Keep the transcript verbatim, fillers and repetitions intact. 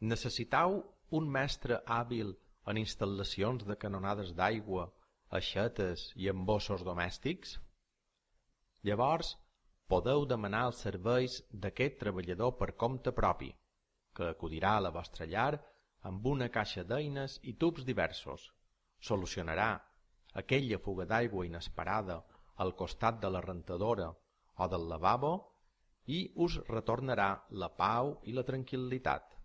Necessitau un mestre hàbil en instal·lacions de canonades d'aigua, aixetes i embossos domèstics? Llavors podeu demanar els serveis d'aquest treballador per compte propi, que acudirà a la vostra llar amb una caixa d'eines i tubs diversos, solucionarà aquella fuga d'aigua inesperada al costat de la rentadora o del lavabo i us retornarà la pau i la tranquil·litat.